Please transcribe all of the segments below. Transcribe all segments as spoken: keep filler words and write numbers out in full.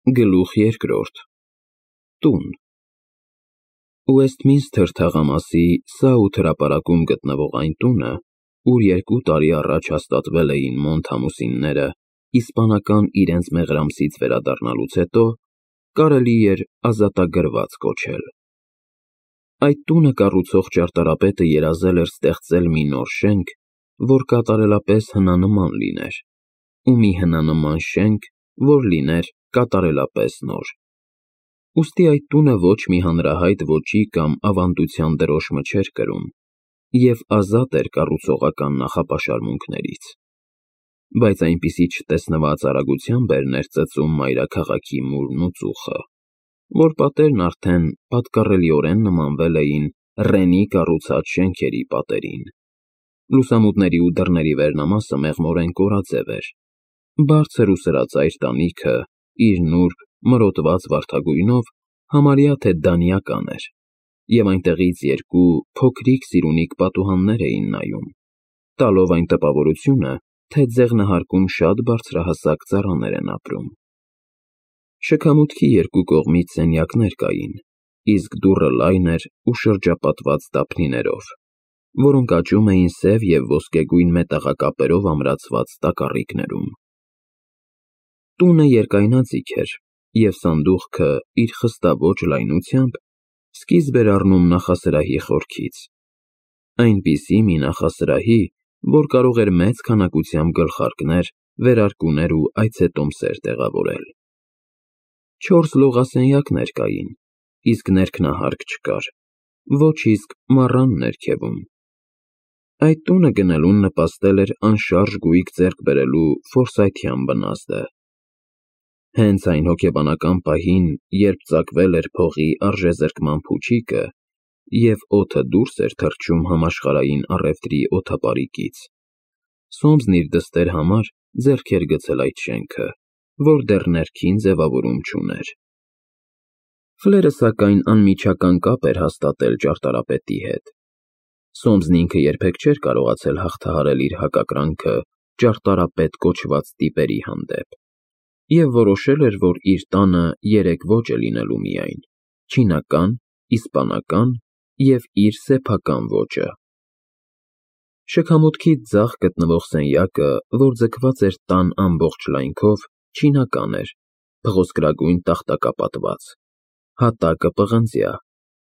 Գլուխ երկրորդ Տուն Ուեսթմինսթր թաղամասի Սաութ հրապարակում գտնվող այն տունը, ուր երկու տարի առաջ հաստատվել էին Մոնտ ամուսինները, իսպանական իրենց մեղրամսից վերադառնալուց հետո, կարելի էր ազատագրված կոչել։ Այդ տունը կառուցող ճարտարապետը երազել էր ստեղծել մի նոր շենք, որ կատարելապես հնանման լիներ, ու մի հնանման շենք, որ լիներ կատարելապես նոր։ Ուստի այդ տունը ոչ մի հանրահայտ ոճի կամ ավանդության դրոշմը չէր կրում և ազատ էր կառուցողական նախապաշարմունքներից, բայց այնպիսի չտեսնված արագությամբ էր ներծծում մայրաքաղաքի մուրն ու ծուխը, որ պատերն արդեն պատկառելիորեն նմանվել էին Ռենի կառուցած շենքերի պատերին։ Լուսամուտների ու դռների վերնամասը մեղմորեն կորաձև էր, բարձր ու սրածայր տանիքը իր նուրբ, մրոտված վարդագույնով համարյա թե դանիական էր, և այնտեղից երկու փոքրիկ սիրունիկ պատուհաններ էին նայում, տալով այն տպավորությունը, թե ձեղնահարկում շատ բարձրահասակ ծառաներ են ապրում։ Շքամուտքի երկու կողմից սենյակներ կային, իսկ դուռը լայն էր ու շրջապատված դափնիներով, որոնք աճում էին սև և ոսկեգույն մետաղակապերով ամրացված տակառիկներում։ Տունը երկայնաձիգ էր, և սանդուղքը իր խստաոճ լայնությամբ սկիզբ էր առնում նախասրահի խորքից, այնպիսի մի նախասրահի, որ կարող էր մեծ քանակությամբ գլխարկներ, վերարկուներ ու այցետոմսեր տեղավորել։ Չորս լողասենյակներ կային, իսկ ներքնահարկ չկար, ոչ իսկ մառան ներքևում։ Այդ տունը գնելուն նպաստել էր անշարժ գույք ձեռք բերելու ֆորսայթյան բնազդը։ Հենց այն հոգեբանական պահին, երբ ծակվել էր փողի արժեզրկման փուչիկը, և օդը դուրս էր թռչում համաշխարհային առևտրի օդապարիկից, Սոմսն իր դստեր համար ձեռք էր գցել այդ շենքը, որ դեռ ներքին ձևավորում չուներ։ Ֆլերը, սակայն, անմիջական կապ էր հաստատել ճարտարապետի հետ։ Սոմսն ինքը երբեք չէր կարողացել հաղթահարել իր հակակրանքը ճարտարապետ կոչված տիպերի հանդեպ, և որոշել էր, որ իր տանը երեք ոճ է լինելու միայն՝ չինական, իսպանական և իր սեփական ոճը։ Շքամուտքից ձախ գտնվող սենյակը, որ ձգված էր տան ամբողջ լայնքով, չինական էր, փղոսկրագույն տախտակապատված, հատակը պղնձյա,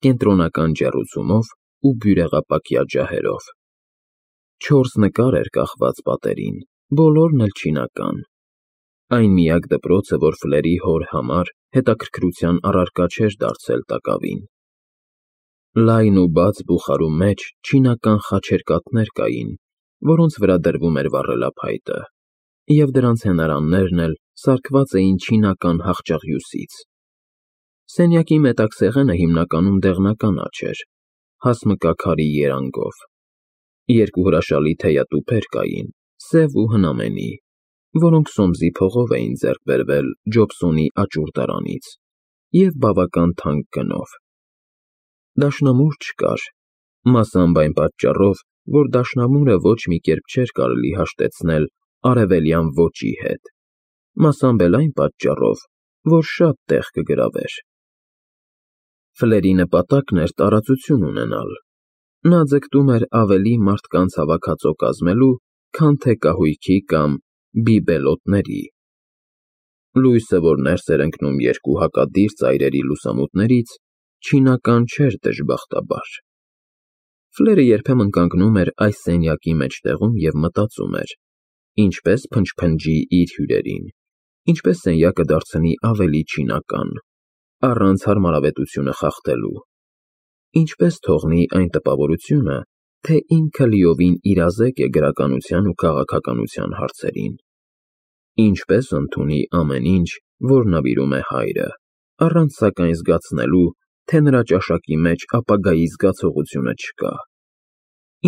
կենտրոնական ջեռուցումով ու բյուրեղապակյա ջահերով։ Չորս նկար էր կախված պատերին, բոլորն էլ չինական։ Այն միակ դպրոցը, որ Ֆլերի հոր համար հետաքրքրության առարկա չէր դարձել տակավին։ Լայն ու բաց բուխարու մեջ չինական խաչերկաթներ կային, որոնց վրա դրվում էր վառելափայտը, և դրանց հենարաններն էլ սարքված էին չինական հախճաղյուծից։ Սենյակի մետաքսեղենը հիմնականում դեղնական աջ էր, հասմկա քարի երանգով։ Երկու հրաշալի թեյատուփեր կային, սև ու հնամենի, որոնք Սոմսի փողով էին ձեռք բերվել Ջոբսոնի աճուրդարանից և բավական թանկ գնով։ Դաշնամուր չկար, մասամբ այն պատճառով, որ դաշնամուրը ոչ մի կերպ չէր կարելի հաշտեցնել արևելյան ոճի հետ, մասամբ էլ այն պատճառով, որ շատ տեղ կգրավեր։ Ֆլերի նպատակն էր տարածություն ունենալ։ Նա ձգտում էր ավելի մարդկանց հավաքածո կազմելու, քան թե կահույքի կամ բիբելոտների։ Լույսը, որ ներս էր ընկնում երկու հակադիր ծայրերի լուսամուտներից, չինական չէր դժբախտաբար։ Ֆլերը երբեմն կանգնում էր այս սենյակի մեջտեղում և մտածում էր. ինչպես փնչփնջի իր հյուրերին, ինչպես սենյակը դարձնի ավելի չինական, առանց հարմարավետությունը խախտելու, ինչպես թողնի այն տպավորությունը, թե ինքը լիովին իրազեկ է գրականության ու քաղաքականության հարցերին, ինչպես ընդունի ամեն ինչ, որ նվիրում է հայրը, առանց սակայն զգացնելու, թե նրա ճաշակի մեջ ապագայի զգացողությունը չկա,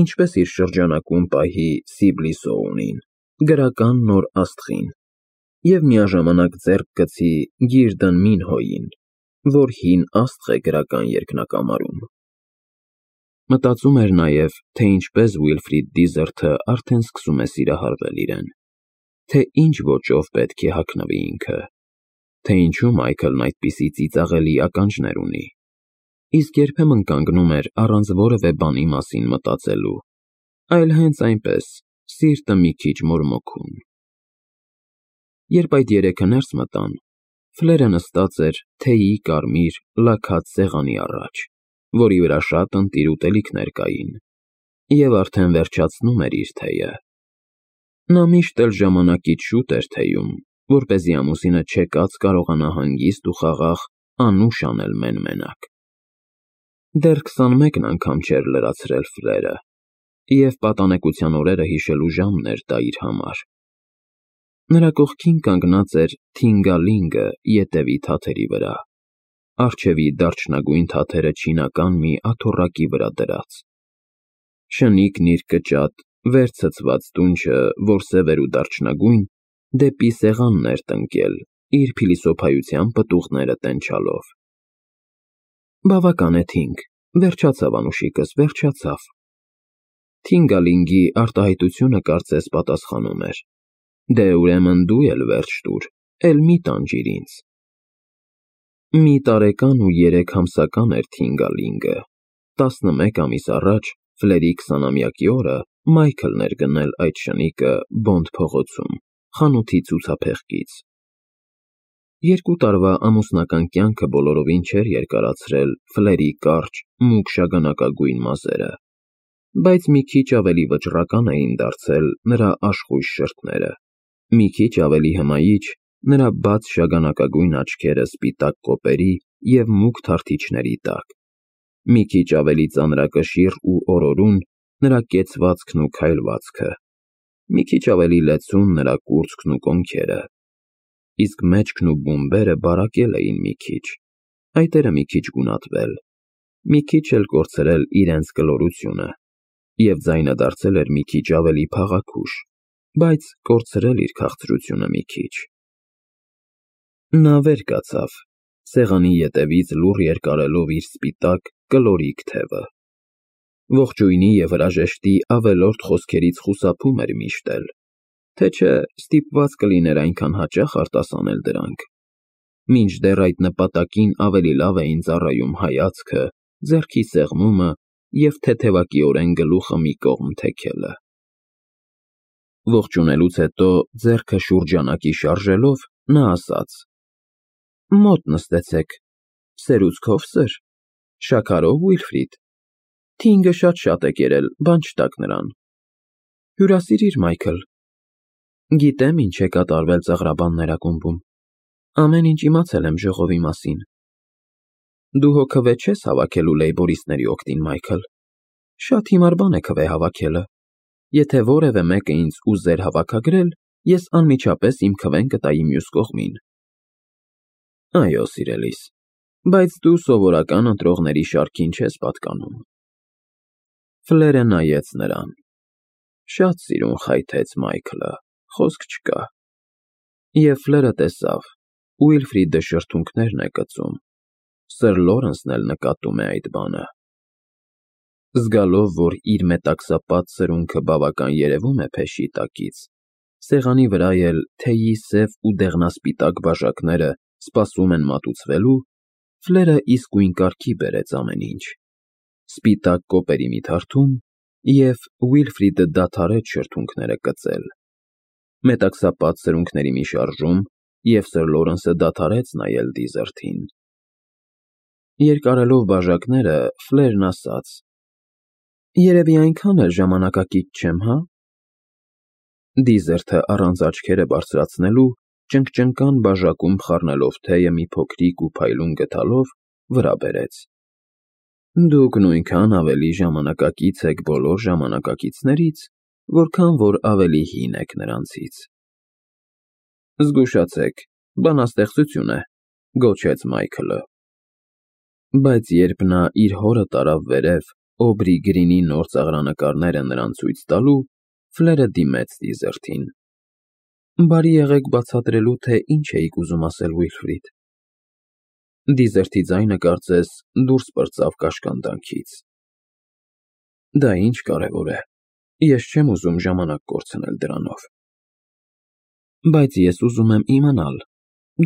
ինչպես իր շրջանակում պահի Սիբլիսոունին, գրական նոր աստղին, և միաժամանակ ձեռք գցի Գիրդն Մինհոյին, որ հին աստղ է գրական երկնակամարում։ Մտածում էր նաև, թե ինչպես Ուիլֆրիդ Դիզերթը արդեն սկսում է սիրահարվել իրեն, թե ինչ ոճով պետք է հագնվի ինքը, թե ինչու Մայքլն այդպիսի ծիծաղելի ականջներ ունի, իսկ երբեմն կանգնում էր առանց որևէ բանի մասին մտածելու, այլ հենց այնպես, սիրտը մի քիչ մորմոքում։ Երբ այդ երեքը ներս մտան, Ֆլերը նստած էր թեյի կարմիր, լաքած սեղանի առաջ, որի վրա շատ ընտիր ուտելիքներ կային, և արդեն վերջացնում էր իր թեյը։ Նա միշտ էլ ժամանակից շուտ էր թեյում, որպեսզի ամուսինը չեկած կարողանա հանգիստ ու խաղաղ անուշ անել մեն֊մենակ։ Դեռ քսանմեկն անգամ չէր լրացրել Ֆլերը, և պատանեկության օրերը հիշելու ժամն էր դա իր համար։ Նրա կողքին կանգնած էր Թինգալինգը ետևի թաթերի վրա, առջևի դարչնագույն թաթերը չինական մի աթոռակի վրա դրած։ Շնիկն իր կճատ, վեր ցցված դունչը, որ սև էր ու դարչնագույն, դեպի սեղանն էր տնկել, իր փիլիսոփայության պտուղները տենչալով։ Բավական է, Թինգ, վերջացավ անուշիկս, վերջացավ։ Թինգալինգի արտահայտությունը կարծես պատասխանում էր. Դե ուրեմն դու էլ վերջ տուր, էլ մի տանջիր ինձ։ Մի տարեկան ու երեք ամսական էր Թինգալինգը, տասնմեկ ամիս առաջ Ֆլերի քսանամյակի օրը Մայքլն էր գնել այդ շնիկը Բոնդ փողոցում, խանութի ցուցափեղկից։ Երկու տարվա ամուսնական կյանքը բոլորովին չէր երկարացրել Ֆլերի կարճ, մուգ շագանակագույն մազերը, բայց մի քիչ ավելի վճռական էին դարձել նրա աշխույժ շրթները, մի քիչ ավելի հմայիչ նրա բաց շագանակագույն աչքերը սպիտակ կոպերի և մուգ թարթիչների տակ, մի քիչ ավելի ծանրակշիռ ու օրորուն նրա կեցվածքն ու քայլվածքը, մի քիչ ավելի լեցուն նրա կուրծքն ու կոնքերը, իսկ մեջքն ու բումբերը բարակել էին մի քիչ, այտերը մի քիչ գունատվել, մի քիչ էլ կորցրել իրենց կլորությունը, և ձայնը դարձել էր մի քիչ ավելի փաղաքուշ, բայց կորցրել իր քաղցրությունը մի քիչ։ Նա վեր կացավ, սեղանի ետևից լուռ երկարելով իր սպիտակ, կլորիկ թևը։ Ողջույնի և հրաժեշտի ավելորդ խոսքերից խուսափում էր միշտ էլ, թե չէ ստիպված կլիներ այնքան հաճախ արտասանել դրանք, մինչդեռ այդ նպատակին ավելի լավ էին ծառայում հայացքը, ձեռքի սեղմումը և թեթևակիորեն գլուխը մի կողմ թեքելը։ Ողջունելուց հետո ձեռքը շուրջանակի շարժելով, նա ասաց. Մոտ նստեցեք, սերուցքով սըր, շաքարով, Ուիլֆրիդ, Թինգը շատ-շատ է կերել, բան չտաք նրան։ Հյուրասիրիր, Մայքլ։ Գիտեմ ինչ է կատարվել ծաղրաբաններ ակումբում, ամեն ինչ իմացել եմ ժողովի մասին։ Դու հո քվե չես հավաքելու լեյբորիստների օգտին, Մայքլ, շատ հիմար բան է քվե հավաքելը, եթե որևէ մեկը ինձ ուզեր հավաքագրել, ես անմիջապես իմ քվեն կտայի մյուս կողմին։ Այո, սիրելիս, բայց դու սովորական ընտրողների շարքին չես պատկանում։ Ֆլերը նայեց նրան։ Շատ սիրուն խայթեց Մայքլը, խոսք չկա։ Եվ Ֆլերը տեսավ, Ուիլֆրիդը շրթունքներն է կծում, սըր Լորենսն էլ նկատում է այդ բանը։ Զգալով, որ իր մետաքսապատ սրունքը բավական երևում է փեշի տակից, սեղանի վրա էլ թեյի սև ու դեղնասպիտակ բաժակները սպասում են մատուցվելու, Ֆլերը իսկույն կարգի բերեց ամեն ինչ, սպիտակ կոպերի մի թարթում, և Ուիլֆրիդը դադարեց շրթունքները կծել, մետաքսապատ սրունքների մի շարժում, և սըր Լորենսը դադարեց նայել դիզերթին։ Երկարելով բաժակները, Ֆլերն ասաց. Երևի այնքան էլ ժամանակակից չեմ, հա։ Դիզերթը առանց աչքերը բարձրացնելու, ճնգճնկան բաժակում խառնելով թեյը մի փոքրիկ ու փայլուն գդալով, վրա բերեց։ Դուք նույնքան ավելի ժամանակակից եք բոլոր ժամանակակիցներից, որքան որ ավելի հին եք նրանցից։ Զգուշացեք, բանաստեղծություն է, գոչեց Մայքլը։ Բայց երբ նա իր հորը տարավ վերև Օբրի Գրինի նոր ծաղրանկարները նրան ցույց տալու, Ֆլերը դիմեց դիզերթին։ Բարի եղեք բացատրելու, թե ինչ էիք ուզում ասել, Ուիլֆրիդ։ Դիզերթի ձայնը կարծես դուրս պրծավ կաշկանդանքից։ Դա ինչ կարևոր է, ես չեմ ուզում ժամանակ կորցնել դրանով։ Բայց ես ուզում եմ իմանալ,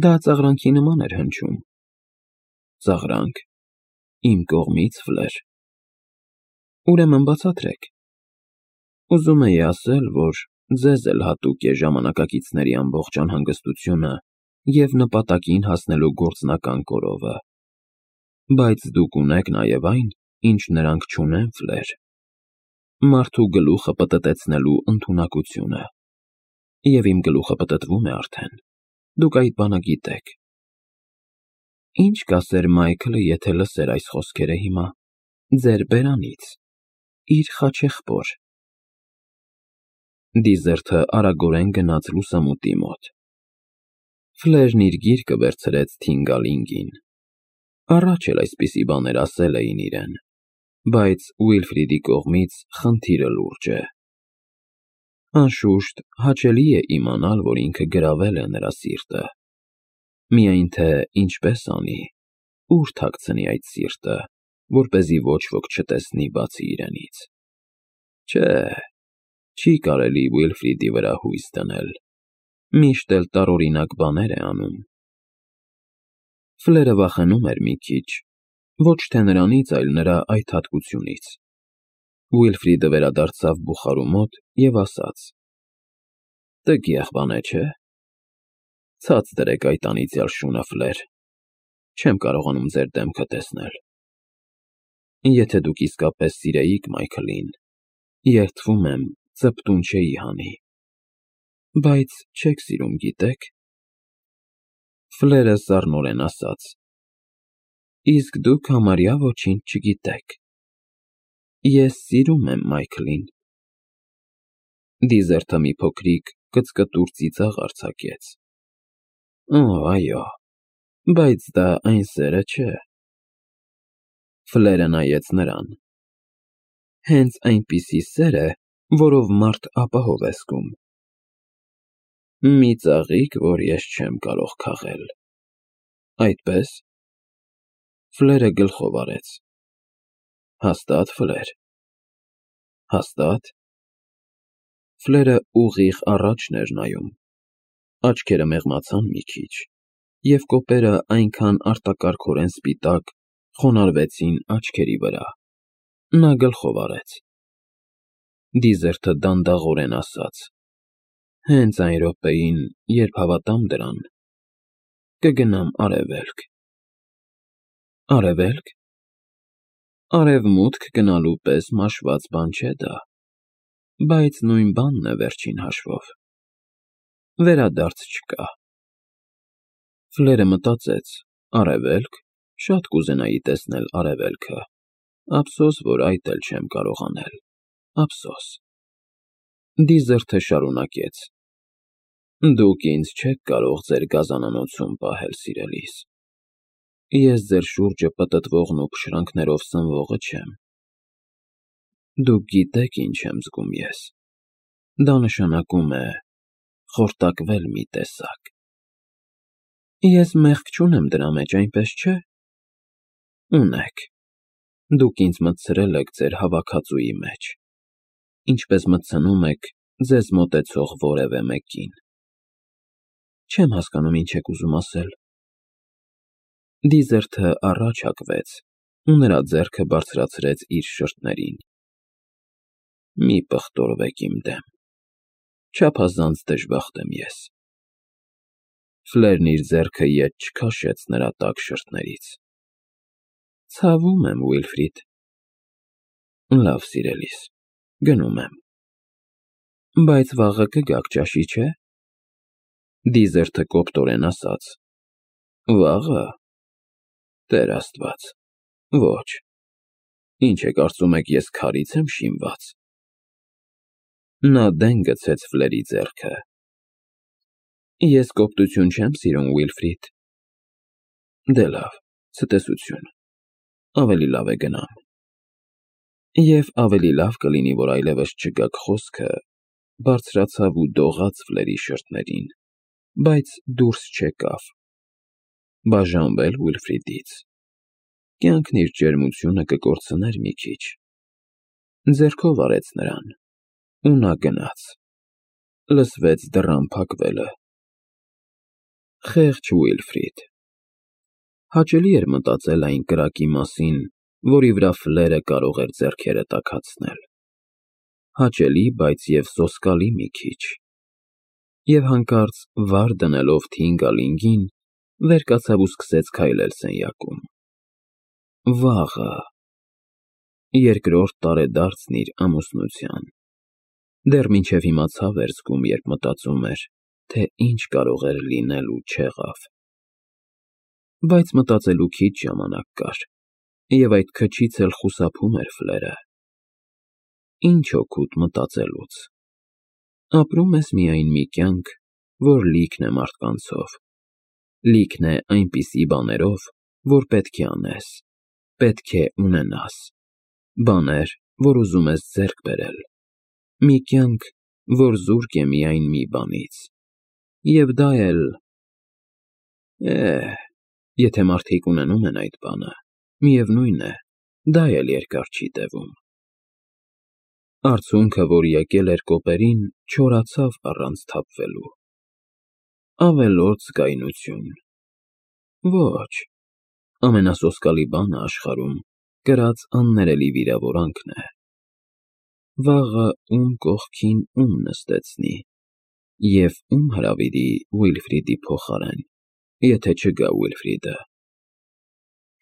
Դա ծաղրանքի նման էր հնչում։ Ծաղրանք, իմ կողմից, Ֆլեր։ Ուրեմն բացատրեք։ Ուզում էի ասել, որ ձեզ էլ հատուկ է ժամանակակիցների ամբողջ անհանգստությունը և նպատակին հասնելու գործնական կորովը, բայց դուք ունեք նաև այն, ինչ նրանք չունեն, Ֆլեր, մարդու գլուխը պտտեցնելու ընդունակությունը, և իմ գլուխը պտտվում է արդեն, դուք այդ բանը գիտեք։ Ինչ կասեր Մայքլը, եթե լսեր այս խոսքերը հիմա, ձեր բերանից, իր խաչեղբոր։ Դիզերթը արագորեն գնաց լուսամուտի մոտ։ Ֆլերն իր գիրկը վերցրեց Թինգալինգին։ Առաջ էլ այսպիսի բաներ ասել էին իրեն, բայց Ուիլֆրիդի կողմից խնդիրը լուրջ է։ Անշուշտ, հաճելի է իմանալ, որ ինքը գրավել է նրա սիրտը։ Միայն թե ինչպես անի, ուր թաքցնի այդ սիրտը, որպեսզի ոչ ոք չտեսնի բացի իրենից։ Չէ, չի կարելի Ուիլֆրիդի վրա հույս դնել, միշտ էլ տարօրինակ բաներ է անում։ Ֆլերը վախենում էր մի քիչ, ոչ թե նրանից, այլ նրա այդ հատկությունից։ Ուիլֆրիդը վերադարձավ բուխարու մոտ և ասաց. «Տգեղ բան է, չէ՞։ Ցած դրեք այդ անիծյալ շունը, Ֆլեր, չեմ կարողանում ձեր դեմքը տեսնել։ Եթե դուք իսկապես սիրեիք Մայքլին, երդվում եմ, ծպտուն չէի հանի։ Բայց չեք սիրում, գիտե՞ք»։ Ֆլերը սառնորեն ասաց. «Իսկ դուք համարյա ոչինչ չգիտեք։ Ես սիրում եմ Մայքլին»։ Դիզերթը մի փոքրիկ կծկտուր ծիծաղ արձակեց։ Օ, այո, բայց դա այն սերը չէ։ Ֆլերը նայեց նրան։ Հենց այնպիսի սեր է, որով մարդ ապահով է զգում։ Մի ծաղիկ, որ ես չեմ կարող քաղել։ Այդպե՞ս։ Ֆլերը գլխով արեց։ Հաստա՞տ, Ֆլեր։ Հաստա՞տ։ Ֆլերը ուղիղ առաջն էր նայում։ Աչքերը մեղմացան մի քիչ, և կոպերը այնքան արտակարգորեն սպիտակ խոնարհվեցին աչքերի վրա։ Նա գլխով արեց։ Դիզերթը դանդաղորեն ասաց. «Հենց այն րոպեին, երբ հավատամ դրան, կգնամ Արևելք»։ Արևե՞լք։ Արևմուտք գնալու պես մաշված բան չէ դա, բայց նույն բանն է վերջին հաշվով։ Վերադարձ չկա։ Ֆլերը մտածեց. Արևելք, շատ կուզենայի տեսնել Արևելքը, ափսոս, որ այդ էլ չեմ կարող անել, ափսոս։ Դիզերթը շարունակեց. Դուք ինձ չեք կարող ձեր գազանանոցում պահել, սիրելիս։ Ես ձեր շուրջը պտտվողն ու փշրանքներով սնվողը չեմ։ Դուք գիտեք ինչ եմ զգում ես։ Դա նշանակում է խորտակվել մի տեսակ։ Ես մեղք չունեմ դրա մեջ, այնպես չէ։ Ունեք։ Դուք ինձ մտցրել եք ձեր հավաքածուի մեջ, ինչպես մտցնում եք ձեզ մոտեցող որևէ մեկին։ Չեմ հասկանում, ինչ եք ուզում ասել։ Դիզերթը առաջ հակվեց ու նրա ձեռքը բարձրացրեց իր շրթներին։ Մի պղտորվեք իմ դեմ։ Չափազանց դժբախտ եմ ես։ Ֆլերն իր ձեռքը ետ չքաշեց նրա տաք շրթներից։ Ցավում եմ, Ուիլֆրիդ։ Լավ, սիրելիս, գնում եմ։ Բայց վաղը կգաք ճաշի, չէ՞։ Դիզերթը կոպտորեն ասաց. Վաղը։ Տեր Աստված, ոչ։ Ինչ է կարծում եք, ես քարից եմ շինված։ Նա դեն գցեց Ֆլերի ձեռքը։ Ես կոպտություն չեմ սիրում, Ուիլֆրիդ։ Դե լավ, ցտեսություն։ Ավելի լավ է գնամ։ Եվ ավելի լավ կլինի, որ այլևս չգաք խոսքը, բարձրացավ ու դողաց Ֆլերի շրթներին, բայց դուրս չեկավ։ Բաժանվել Ուիլֆրիդից։ Կյանքն իր ջերմությունը կկորցներ մի քիչ։ Ձեռքով արեց նրան, ու նա գնաց։ Լսվեց դռան փակվելը։ Խեղճ Ուիլֆրիդ։ Հաճելի էր մտածել այն կրակի մասին, որի վրա Ֆլերը կարող էր ձեռքերը տաքացնել։ Հաճելի, բայց և սոսկալի մի քիչ։ Եվ հանկարծ վար դնելով թին գալինգին, վեր կացավ ու սկսեց քայլել սենյակում։ Վաղը… Երկրորդ տարեդարձն իր ամուսնության։ Դեռ մինչև հիմա ցավ էր զգում, երբ մտածում էր, թե ինչ կարող էր լինել ու չեղավ։ Բայց մտածելու քիչ ժամանակ կար, և այդ քչից էլ խուսափում էր Ֆլերը։ Ինչ օգուտ մտածելուց։ Ապրում ես միայն մի կյանք, որ լիքն է մարդկանցով, լիքն է այնպիսի բաներով, որ պետք է անես, պետք է ունենաս, բաներ, որ ուզում ես ձեռք բերել, մի կյանք, որ զուրկ է միայն մի բանից, և դա էլ… Է՜, եթե մարդիկ ունենում են այդ բանը, միևնույն է, դա էլ երկար չի տևում։ Արցունքը, որ եկել էր կոպերին, չորացավ առանց թափվելու։ Ավելորդ զգայունություն… Ոչ, ամենասոսկալի բանը աշխարհում կրած աններելի վիրավորանքն է։ Վաղը ում կողքին ում նստեցնի, և ում հրավիրի Ուիլֆրիդի փոխարեն, եթե չգա Ուիլֆրիդը։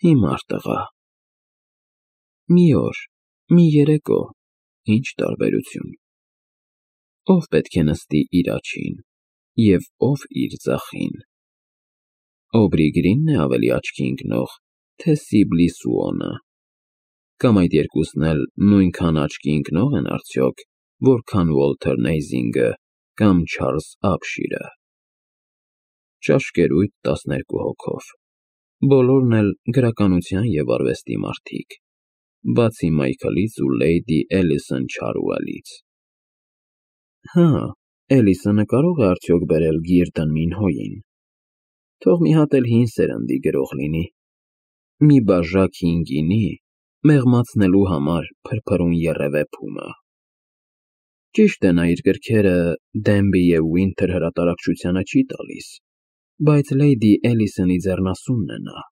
Հիմար տղա… Մի օր, մի երեկո, ի՞նչ տարբերություն։ Ո՞վ պետք է նստի իր աջին, և ո՞վ իր ձախին։ Օբրի Գրինն է ավելի աչքի ընկնող, թե Սիբլի Սուոնը։ Կամ այդ երկուսն էլ նույնքան աչքի ընկնո՞ղ են արդյոք, որքան Ուոլթեր Նեյզինգը կամ Չարլզ Ապշիրը։ Ճաշկերույթ տասներկու հոգով, բոլորն էլ գրականության և արվեստի մարդիկ, բացի Մայքլից ու լեյդի Էլիսոն Չարուելից։ Հա, Էլիսոնը կարո՞ղ է արդյոք բերել Գիրդն Մինհոյին։ Թող մի հատ էլ հին սերնդի գրող լինի, մի բաժակ հին գինի, մեղմացնելու համար փրփրուն եռևէ փումը։ Ճիշտ է, նա իր գրքերը Դենբի և Վինթեր հրատարակչությանը չի տալիս, բայց լեյդի Էլիսոնի ձեռնասունն է նա։